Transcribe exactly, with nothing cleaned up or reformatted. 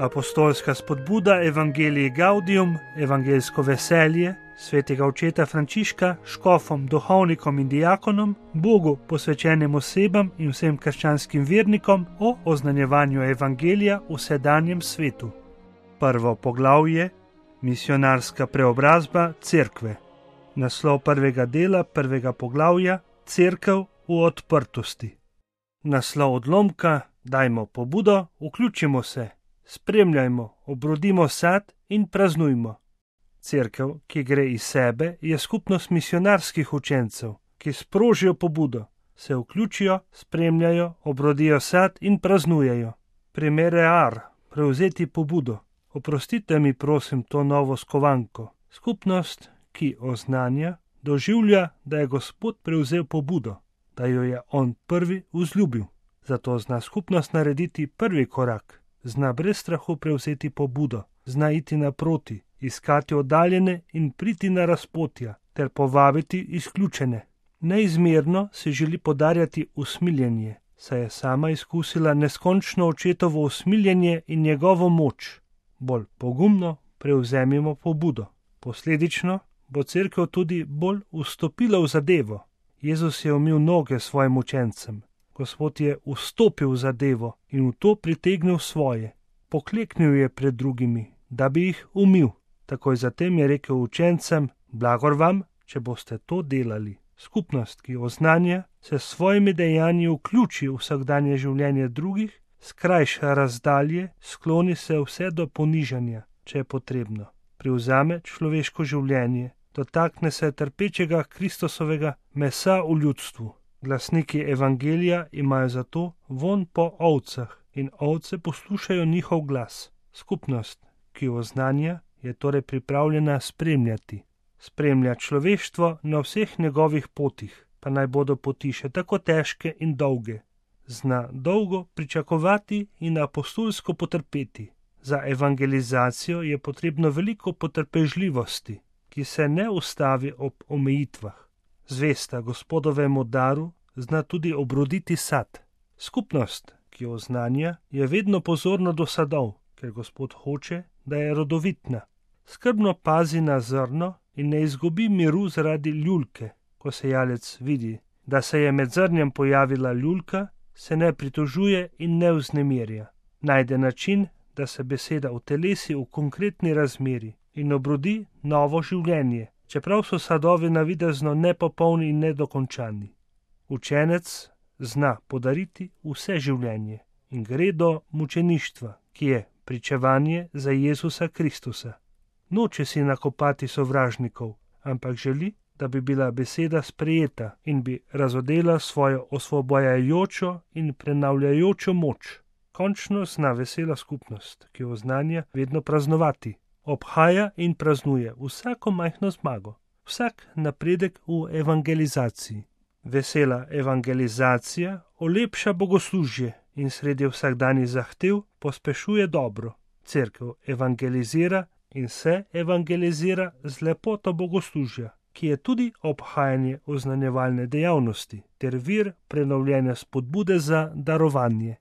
Apostolska spodbuda Evangelii Gaudium, evangeljsko veselje, svetega očeta Frančiška, škofom, duhovnikom in diakonom, Bogu posvečenim osebam in vsem krščanskim vernikom o oznanjevanju evangelija v sedanjem svetu. Prvo poglavje: Misionarska preobrazba cerkve. Naslov prvega dela prvega poglavja: Cerkev v odprtosti. Naslov odlomka: Dajmo pobudo, vključimo se, spremljajmo, obrodimo sad in praznujmo. Cerkev, ki gre iz sebe, je skupnost misionarskih učencev, ki sprožijo pobudo, se vključijo, spremljajo, obrodijo sad in praznujejo. Primerear, prevzeti pobudo. Oprostite mi, prosim, to novo skovanko. Skupnost, ki oznanja, doživlja, da je Gospod prevzel pobudo, da jo je On prvi vzljubil. Zato zna skupnost narediti prvi korak, zna brez strahu prevzeti pobudo, zna iti naproti, iskati oddaljene in priti na razpotja ter povabiti izključene. Neizmerno se želi podarjati usmiljenje, saj je sama izkusila neskončno očetovo usmiljenje in njegovo moč. Bolj pogumno prevzemimo pobudo. Posledično bo cerkev tudi bolj vstopila v zadevo. Jezus je umil noge svojim učencem. Gospod je vstopil v zadevo in v to pritegnil svoje. Pokleknil je pred drugimi, da bi jih umil. Takoj zatem je rekel učencem: blagor vam, če boste to delali. Skupnost, ki oznanja, se s svojimi dejanji vključi v vsakdanje življenje drugih, skrajša razdalje, skloni se vse do ponižanja, če je potrebno. Privzame človeško življenje, dotakne se trpečega Kristusovega mesa v ljudstvu. Glasniki evangelija imajo zato vonj po ovcah in ovce poslušajo njihov glas. Skupnost, ki oznanja, je torej pripravljena spremljati. Spremlja človeštvo na vseh njegovih potih, pa naj bodo poti še tako težke in dolge. Zna dolgo pričakovati in apostolsko potrpeti. Za evangelizacijo je potrebno veliko potrpežljivosti, ki se ne ustavi ob omejitvah. Zvesta Gospodovemu daru zna tudi obroditi sad. Skupnost, ki oznanja, je vedno pozorna do sadov, ker Gospod hoče, da je rodovitna. Skrbno pazi na zrno in ne izgubi miru zaradi ljulke. Ko sejalec vidi, da se je med zrnjem pojavila ljulka, se ne pritožuje in ne vznemirja. Najde način, da se beseda utelesi v konkretni razmeri in obrodi novo življenje, čeprav so sadovi navidezno nepopolni in nedokončani. Učenec zna podariti vse življenje in gre do mučeništva, ki je pričevanje za Jezusa Kristusa. Noče si nakopati sovražnikov, ampak želi, da bi bila beseda sprejeta in bi razodela svojo osvobojajočo in prenavljajočo moč. Končno zna vesela skupnost, ki oznanja vedno praznovati. Obhaja in praznuje vsako majhno zmago, vsak napredek v evangelizaciji. Vesela evangelizacija olepša bogoslužje in sredi vsakdanjih zahtev pospešuje dobro. Cerkev evangelizira in se evangelizira z lepoto bogoslužja, ki je tudi obhajanje oznanjevalne dejavnosti ter vir prenovljene spodbude za darovanje.